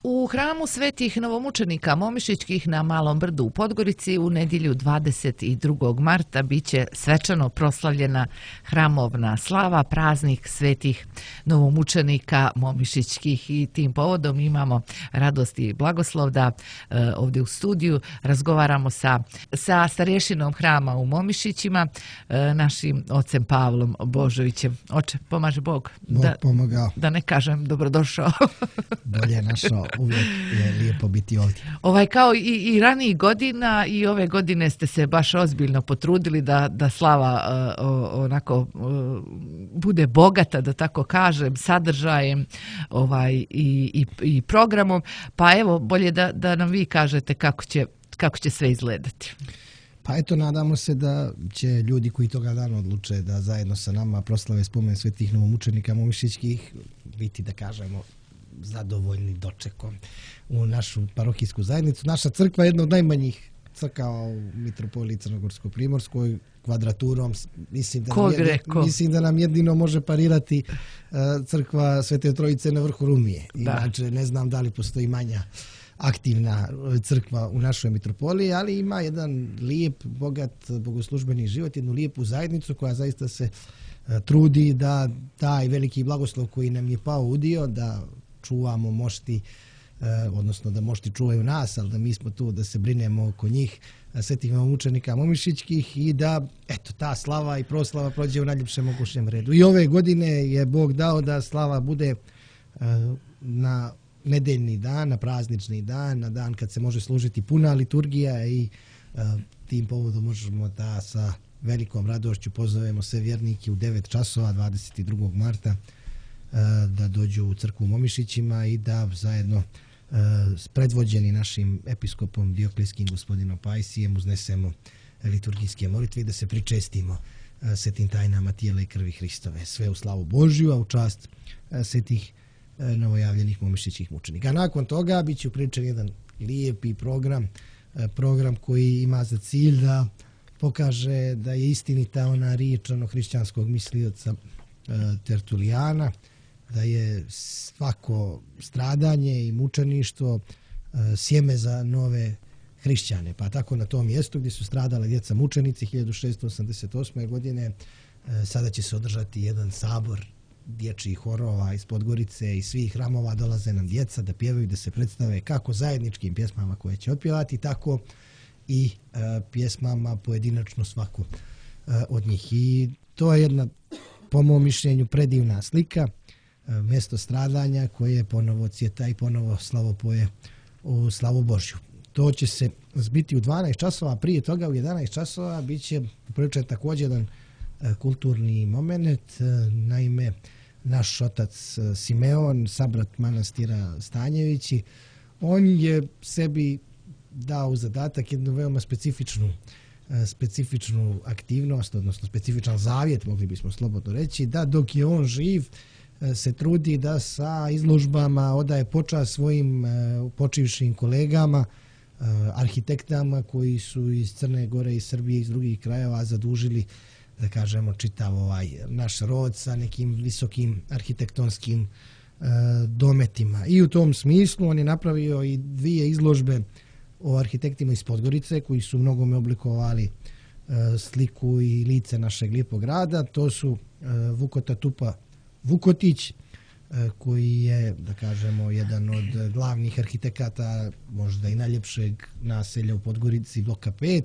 U hramu svetih novomučenika Momišićkih na Malom Brdu u Podgorici u nedjelju 22. marta biće svečano proslavljena hramovna slava, praznik svetih novomučenika Momišićkih, i tim povodom imamo radost i blagoslov da ovdje u studiju razgovaramo sa starješinom hrama u Momišićima, našim ocem Pavlom Božovićem. Oče, pomaže Bog. Bog pomogao. Da ne kažem dobrodošao. Bolje našao. Uvijek je lijepo biti ovdje. Kao i ranijih godina, i ove godine ste se baš ozbiljno potrudili da slava onako bude bogata, da tako kažem, sadržajem i programom. Pa evo, bolje da nam vi kažete kako će sve izgledati. Pa eto, nadamo se da će ljudi koji toga dana odluče da zajedno sa nama proslave spomen svetih novomučenika Momišićkih biti, da kažemo, zadovoljni dočekom u našu parohijsku zajednicu. Naša crkva je jedna od najmanjih crkava u mitropoliji Crnogorsko-primorskoj, kvadraturom. Mislim da nam jedino može parirati crkva Svete Trojice na vrhu Rumije. Inače, ne znam da li postoji manja aktivna crkva u našoj mitropoliji, ali ima jedan lijep, bogat bogoslužbeni život, jednu lijepu zajednicu koja zaista se trudi da taj veliki blagoslov koji nam je pao u dio, da čuvamo mošti, odnosno da mošti čuvaju nas, ali da mi smo tu da se brinemo oko njih, svetih novomučenika Momišićkih, i da eto, ta slava i proslava prođe u najljepšem mogućem redu. I ove godine je Bog dao da slava bude na nedeljni dan, na praznični dan, na dan kad se može služiti puna liturgija, i tim povodom možemo da sa velikom radošću pozovemo sve vjernike u 9 časova 22. marta da dođu u crkvu u Momišićima i da zajedno predvođeni našim episkopom Dioklijskim gospodinom Pajsijem uznesemo liturgijske molitve i da se pričestimo svetim tajnama tijela i krvi Hristove. Sve u slavu Božju, a u čast svetih novojavljenih momišićkih mučenika. A nakon toga bit će upriličen jedan lijepi program koji ima za cilj da pokaže da je istinita ona riječ hrišćanskog mislioca Tertulijana, da je svako stradanje i mučeništvo sjeme za nove hrišćane. Pa tako na tom mjestu gdje su stradale djeca mučenici 1688. godine sada će se održati jedan sabor dječjih horova iz Podgorice i svih hramova. Dolaze nam djeca da pjevaju, da se predstave kako zajedničkim pjesmama koje će otpjevati, tako i pjesmama pojedinačno svako od njih. I to je jedna, po mom mišljenju, predivna slika, mjesto stradanja koje ponovo cvjeta i ponovo slavopoje u slavu Božju. To će se zbiti u 12 časova, prije toga u 11 časova bit će upriličen također jedan kulturni moment. Naime, naš otac Simeon, sabrat manastira Stanjevići, on je sebi dao u zadatak jednu veoma specifičnu aktivnost, odnosno specifičan zavjet, mogli bismo slobodno reći, da dok je on živ se trudi da sa izložbama odaje počast svojim počivšim kolegama, arhitektama koji su iz Crne Gore i Srbije, iz drugih krajeva zadužili, da kažemo, čitav naš rod sa nekim visokim arhitektonskim dometima. I u tom smislu on je napravio i 2 izložbe o arhitektima iz Podgorice koji su mnogome oblikovali sliku i lice našeg lijepog grada. To su Vukota Tupa Vukotić, koji je, da kažemo, jedan od glavnih arhitekata, možda i najljepšeg naselja u Podgorici, bloka 5,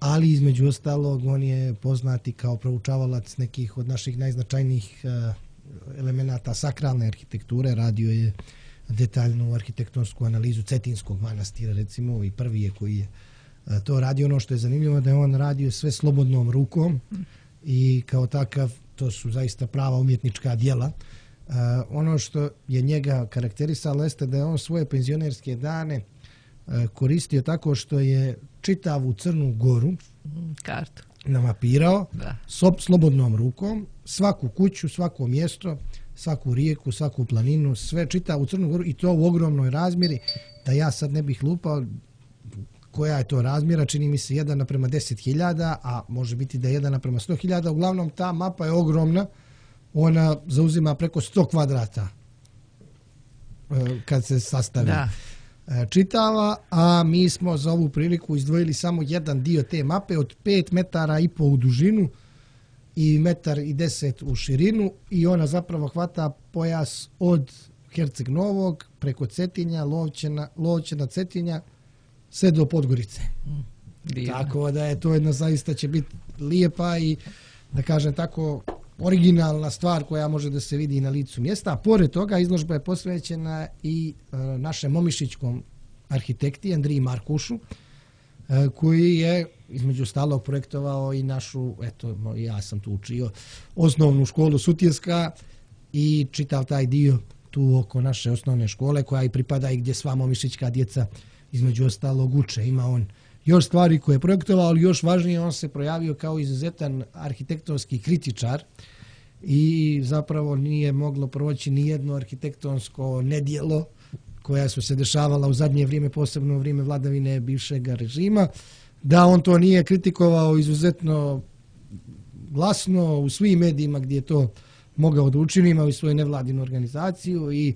ali između ostalog on je poznati kao proučavalac nekih od naših najznačajnijih elemenata sakralne arhitekture. Radio je detaljnu arhitektonsku analizu Cetinskog manastira, recimo, i prvi je koji je to radio. Ono što je zanimljivo da je on radio sve slobodnom rukom i kao takav to su zaista prava umjetnička djela. Ono što je njega karakterisalo jeste da je on svoje penzionerske dane koristio tako što je čitavu Crnu Goru kartu namapirao slobodnom rukom, svaku kuću, svako mjesto, svaku rijeku, svaku planinu, sve čitavu Crnu Goru, i to u ogromnoj razmjeri, da ja sad ne bih lupao koja je to razmjera, čini mi se 1:10.000, a može biti da je 1:100.000, uglavnom ta mapa je ogromna, ona zauzima preko 100 kvadrata kad se sastavi Da. čitava, a mi smo za ovu priliku izdvojili samo jedan dio te mape od 5,5 metara u dužinu i 1,10 m u širinu i ona zapravo hvata pojas od Herceg Novog preko Cetinja, Lovćena, Cetinja sve do Podgorice. Tako da je to jedna zaista će biti lijepa i da kažem tako originalna stvar koja može da se vidi na licu mjesta. A pored toga izložba je posvećena i našem momišićkom arhitekti Andriji Markušu, koji je između ostalog projektovao i našu, eto ja sam tu učio, osnovnu školu Sutjeska i čitav taj dio tu oko naše osnovne škole koja i pripada i gdje sva momišićka djeca između ostalog uče. Ima on još stvari koje je projektovao, ali još važnije on se projavio kao izuzetan arhitektonski kritičar i zapravo nije moglo proći ni jedno arhitektonsko nedjelo koja su se dešavala u zadnje vrijeme, posebno u vrijeme vladavine bivšeg režima, da on to nije kritikovao izuzetno glasno u svim medijima gdje je to mogao da učini, imao i svoju nevladinu organizaciju i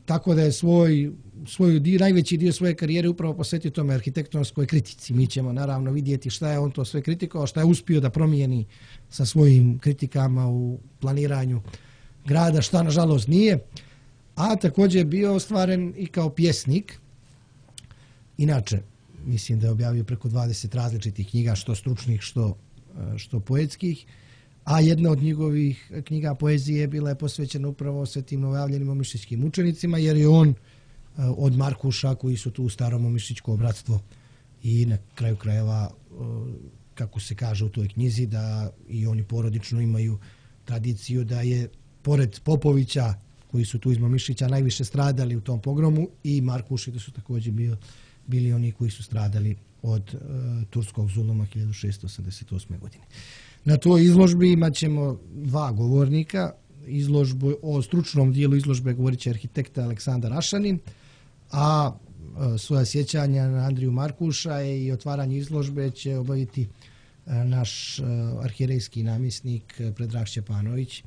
tako da je najveći dio svoje karijere upravo posvetio tome arhitektonskoj kritici. Mi ćemo naravno vidjeti šta je on to sve kritikovao, šta je uspio da promijeni sa svojim kritikama u planiranju grada, šta nažalost nije. A također je bio ostvaren i kao pjesnik. Inače, mislim da je objavio preko 20 različitih knjiga, što stručnih, što poetskih. A jedna od njegovih knjiga poezije bila je posvećena upravo svetim novojavljenim momišićkim učenicima, jer je on od Markuša koji su tu u starom momišićko bratstvo i na kraju krajeva, kako se kaže u toj knjizi, da i oni porodično imaju tradiciju da je pored Popovića koji su tu iz Momišića najviše stradali u tom pogromu i Markuši da su također bili oni koji su stradali od turskog zuluma 1688. godine. Na toj izložbi imat ćemo dva govornika. Izložbu o stručnom dijelu izložbe govorit će arhitekta Aleksandar Ašanin, a svoja sjećanja na Andriju Markuša i otvaranje izložbe će obaviti naš arhijerejski namjesnik Predrag Šćepanović,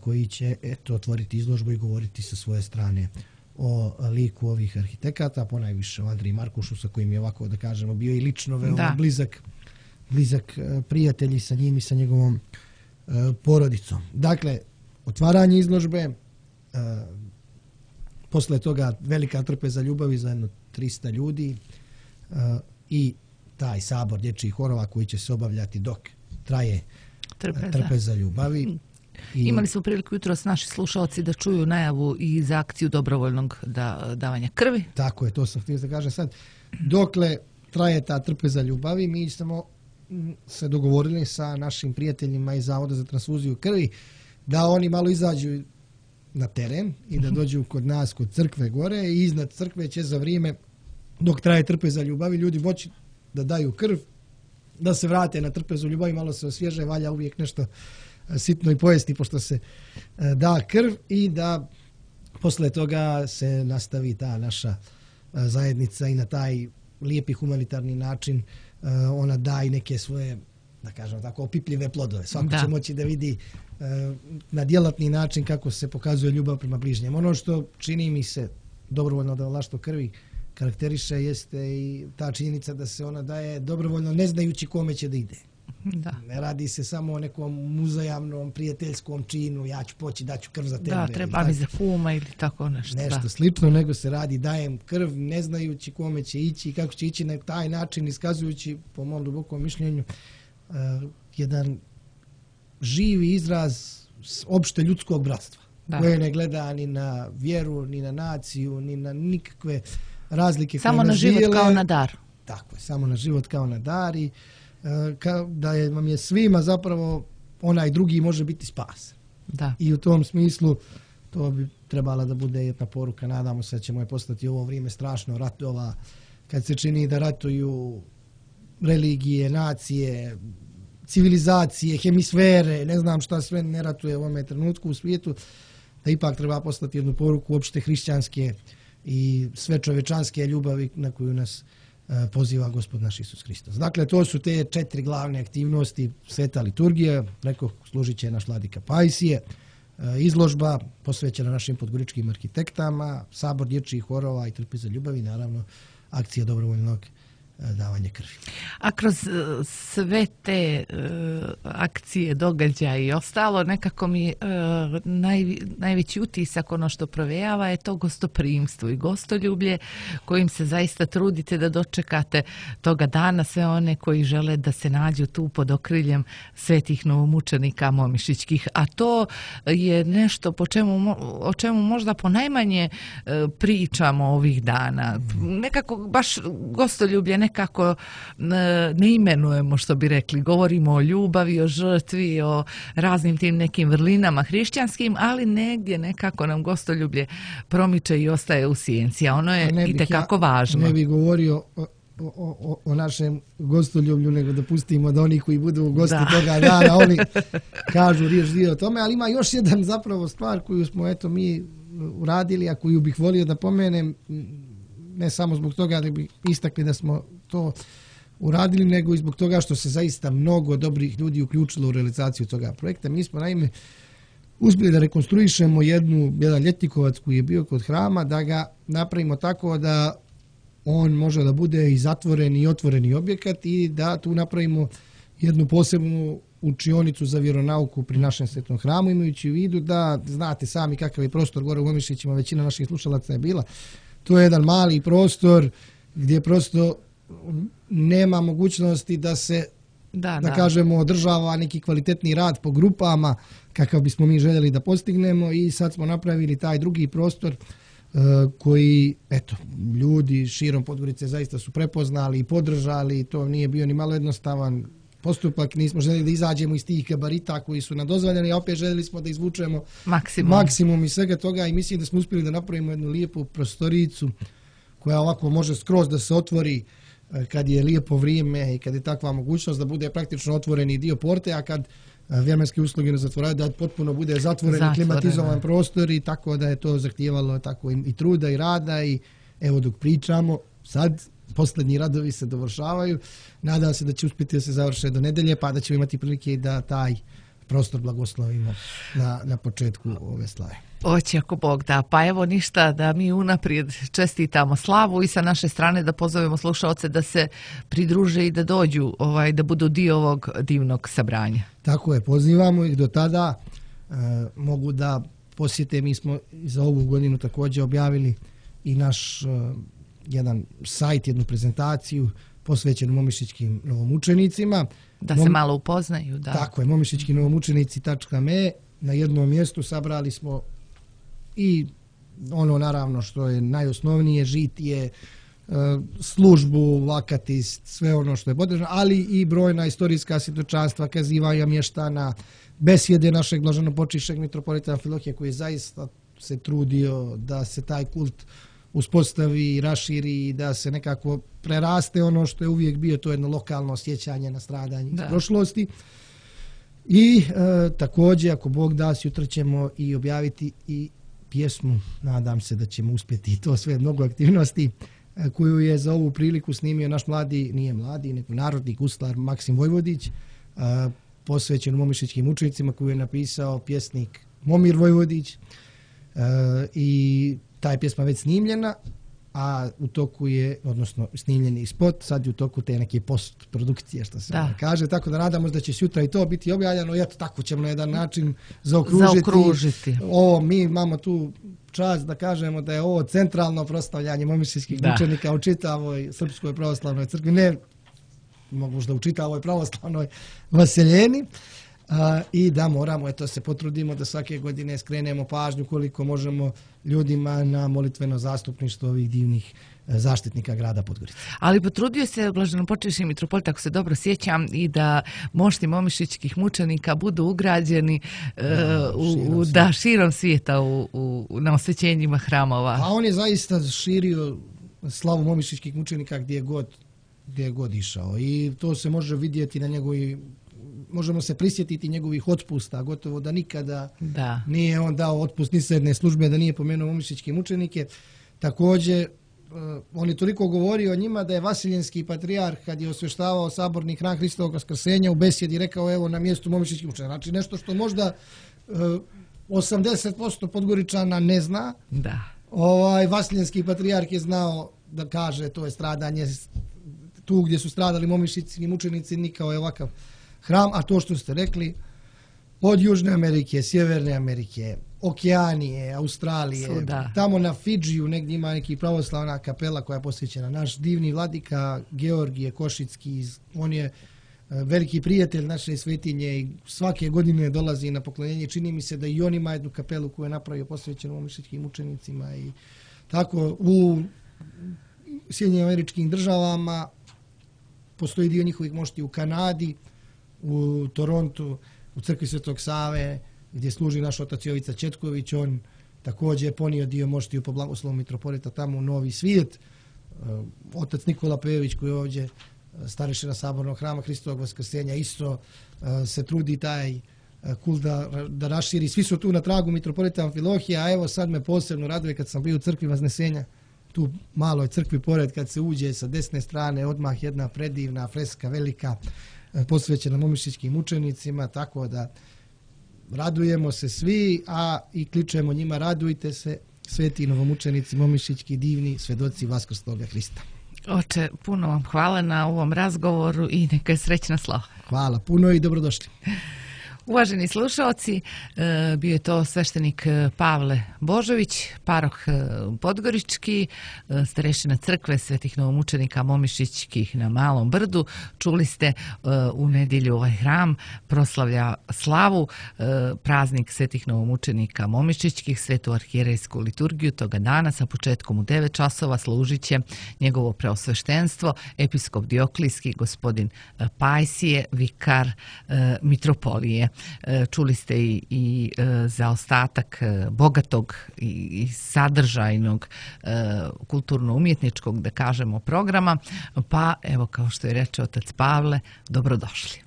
koji će otvoriti izložbu i govoriti sa svoje strane o liku ovih arhitekata, ponajviše o Andriji Markušu, sa kojim je ovako da kažemo bio i lično veoma blizak prijatelj sa njim i sa njegovom porodicom. Dakle, otvaranje izložbe, posle toga velika trpeza ljubavi za jedno 300 ljudi i taj sabor dječjih horova koji će se obavljati dok traje trpeza ljubavi. Imali smo priliku jutros naši slušalci da čuju najavu i za akciju dobrovoljnog davanja krvi. Tako je, to sam htio da kažem sad. Dokle traje ta trpeza ljubavi, mi smo se dogovorili sa našim prijateljima iz Zavoda za transfuziju krvi da oni malo izađu na teren i da dođu kod nas, kod crkve gore i iznad crkve će za vrijeme dok traje trpeza ljubavi ljudi moći da daju krv, da se vrate na trpezu ljubavi, malo se osvježe, valja uvijek nešto sitno i pojesti pošto se da krv i da posle toga se nastavi ta naša zajednica i na taj lijepi humanitarni način ona da i neke svoje, da kažem tako, opipljive plodove. Svako će moći da vidi na djelatni način kako se pokazuje ljubav prema bližnjem. Ono što čini mi se dobrovoljno davalaštvo krvi karakteriše jeste i ta činjenica da se ona daje dobrovoljno ne znajući kome će da ide. Da. Ne radi se samo o nekom uzajamnom prijateljskom činu, ja ću poći, daću krv za tebe. Da, treba mi za kuma ili tako nešto. Nešto slično, nego se radi, dajem krv ne znajući kome će ići i kako će ići na taj način, iskazujući, po mom dubokom mišljenju, jedan živi izraz opšte ljudskog bratstva, koje ne gleda ni na vjeru, ni na naciju, ni na nikakve razlike. Samo na život kao na dar. Tako je, samo na život kao na dar i da vam je svima zapravo onaj drugi može biti spas. Da. I u tom smislu to bi trebala da bude jedna poruka. Nadamo se da ćemo je postati ovo vrijeme strašno ratova, kad se čini da ratuju religije, nacije, civilizacije, hemisfere, ne znam šta sve ne ratuje u ovome trenutku u svijetu, da ipak treba postati jednu poruku opšte hrišćanske i sve čovečanske ljubavi na koju nas poziva Gospod naš Isus Hristos. Dakle, to su te 4 glavne aktivnosti. Sveta liturgija, rekao, služit će naš vladika Pajsije, izložba posvećena našim podgoričkim arhitektama, sabor dječjih horova i Trpi za ljubav i naravno akcija dobrovoljnog davanje krvi. A kroz sve te akcije, događaje i ostalo, nekako mi najveći utisak, ono što provejava, je to gostoprimstvo i gostoljublje kojim se zaista trudite da dočekate toga dana sve one koji žele da se nađu tu pod okriljem svetih novomučenika momišićkih. A to je nešto o čemu možda ponajmanje pričamo ovih dana. Nekako baš gostoljublje nekako ne imenujemo, što bi rekli. Govorimo o ljubavi, o žrtvi, o raznim tim nekim vrlinama hrišćanskim, ali negdje nekako nam gostoljublje promiče i ostaje u sjenci, a ono je itekako važno. Ne bih govorio o našem gostoljublju, nego da pustimo da oni koji budu gosti toga dana, oni kažu riječ dio o tome, ali ima još jedan zapravo stvar koju smo mi uradili, a koju bih volio da pomenem, ne samo zbog toga da bi istakli da smo to uradili, nego i zbog toga što se zaista mnogo dobrih ljudi uključilo u realizaciju toga projekta. Mi smo naime uspjeli da rekonstruišemo jedan ljetnikovac koji je bio kod hrama, da ga napravimo tako da on može da bude i zatvoreni i otvoreni objekat i da tu napravimo jednu posebnu učionicu za vjeronauku pri našem svetom hramu, imajući u vidu da znate sami kakav je prostor gore u Momišićima, većina naših slušalaca je bila. To je jedan mali prostor gdje prosto nema mogućnosti da se, da kažemo, održava neki kvalitetni rad po grupama kakav bismo mi željeli da postignemo i sad smo napravili taj drugi prostor koji, ljudi širom Podgorice zaista su prepoznali i podržali. To nije bio ni malo jednostavan postupak, nismo željeli da izađemo iz tih gabarita koji su nam dozvoljeni, a opet željeli smo da izvučemo maksimum iz svega toga i mislim da smo uspjeli da napravimo jednu lijepu prostoricu koja ovako može skroz da se otvori kad je lijepo vrijeme i kad je takva mogućnost da bude praktično otvoreni dio porte, a kad vremenske usluge ne zatvoraju, da potpuno bude zatvoren i klimatizovan prostor, i tako da je to zahtijevalo tako i truda i rada. I evo, dok pričamo sad, posljednji radovi se dovršavaju. Nadam se da će uspjeti da se završe do nedelje, pa da ćemo imati prilike da taj prostor blagoslovimo na početku ove slave. Oće, ako Bog da. Pa evo ništa, da mi unaprijed čestitamo slavu i sa naše strane da pozovemo slušaoce da se pridruže i da dođu, da budu dio ovog divnog sabranja. Tako je, pozivamo ih do tada. Mogu da posjete, mi smo za ovu godinu također objavili i naš jedan sajt, jednu prezentaciju posvećenu momišićkim novomučenicima. Da se malo upoznaju, da. Tako je, momišićkinovomučenici.me. Na jednom mjestu sabrali smo i ono naravno što je najosnovnije, žitije, službu, akatist, sve ono što je potrebno, ali i brojna istorijska svjedočanstva, kazivanja mještana, besjede našeg blaženopočivšeg mitropolita Amfilohija, koji je zaista se trudio da se taj kult uspostavi, raširi i da se nekako preraste ono što je uvijek bio to jedno lokalno sjećanje na stradanje iz prošlosti. I također, ako Bog da, sutra ćemo i objaviti i pjesmu, nadam se da ćemo uspjeti i to sve, mnogo aktivnosti, koju je za ovu priliku snimio naš nije mladi, nego narodni guslar Maksim Vojvodić, posvećen momišićkim učenicima, koju je napisao pjesnik Momir Vojvodić, i ta pjesma već snimljena, a u toku je, odnosno snimljeni spot, sad je u toku te neke postprodukcije, što se kaže, tako da nadamo da će sutra i to biti objavljeno i eto, tako ćemo na jedan način zaokružiti. Ovo, mi imamo tu čast da kažemo da je ovo centralno proslavljanje momišićkih učenika u čitavoj Srpskoj pravoslavnoj crkvi, ne možda u čitavoj pravoslavnoj vaseljeni. I da moramo, se potrudimo da svake godine skrenemo pažnju koliko možemo ljudima na molitveno zastupništvo ovih divnih zaštitnika grada Podgorice. Ali potrudio se blaženopočivši mitropolit, ako se dobro sjećam, i da mošti momišićkih mučenika budu ugrađeni širom svijeta na osvećenjima hramova. A on je zaista širio slavu momišićkih mučenika gdje je god išao i to se može vidjeti na njegovi. Možemo se prisjetiti njegovih otpusta, gotovo da nikada nije on dao otpust ni s jedne službe, da nije pomenuo momišićke mučenike. Također, on je toliko govorio o njima da je Vasiljenski patrijarh, kad je osvještavao saborni hram Hristovog Vaskrsenja, u besjedi rekao, evo, na mjestu momišićkih mučenika. Znači nešto što možda 80% Podgoričana ne zna. Da. Vasiljenski patrijarh je znao da kaže to je stradanje tu gdje su stradali momišćici mučenici, nikao je ovakav hram, a to što ste rekli, od Južne Amerike, Sjeverne Amerike, Okeanije, Australije, tamo na Fidžiju negdje ima neki pravoslavna kapela koja je posvećena. Naš divni vladika Georgije Košicki, on je veliki prijatelj naše svetinje i svake godine dolazi na poklonjenje. Čini mi se da i on ima jednu kapelu koju je napravio posvećenu momišćičkim mučenicima i tako u Sjedinjenim Američkim Državama postoji dio njihovih mošti u Kanadi, u Torontu, u crkvi Svetog Save, gdje služi naš otac Jovica Četković. On također je ponio dio moštiju po blagoslovu mitropolita tamo u Novi Svijet. Otac Nikola Pejović, koji je ovdje starešina Sabornog hrama Hristovog Vaskrsenja, isto se trudi taj kult da raširi. Svi su tu na tragu mitropolita Amfilohija, a evo sad me posebno raduje kad sam bio u crkvi Vaznesenja, tu maloj crkvi pored, kad se uđe sa desne strane odmah jedna predivna freska velika posvećena momišćičkim mučenicima, tako da radujemo se svi, a i kličemo njima radujte se, sveti novomučenici momišćički, divni svedoci Vaskrsloga Hrista. Oče, puno vam hvala na ovom razgovoru i neka je srećna slava. Hvala puno i dobrodošli. Uvaženi slušalci, bio je to sveštenik Pavle Božović, paroh Podgorički, starešina crkve svetih novomučenika momišćičkih na Malom Brdu. Čuli ste u nedjelju ovaj hram proslavlja slavu, praznik svetih novomučenika momišćičkih, svetu arhijerejsku liturgiju toga dana sa početkom u 9 časova služit će njegovo preosveštenstvo, episkop Dioklijski, gospodin Pajsije, vikar mitropolije. Čuli ste i za ostatak bogatog i sadržajnog kulturno-umjetničkog, da kažemo, programa, pa evo kao što je reče otac Pavle, dobrodošli.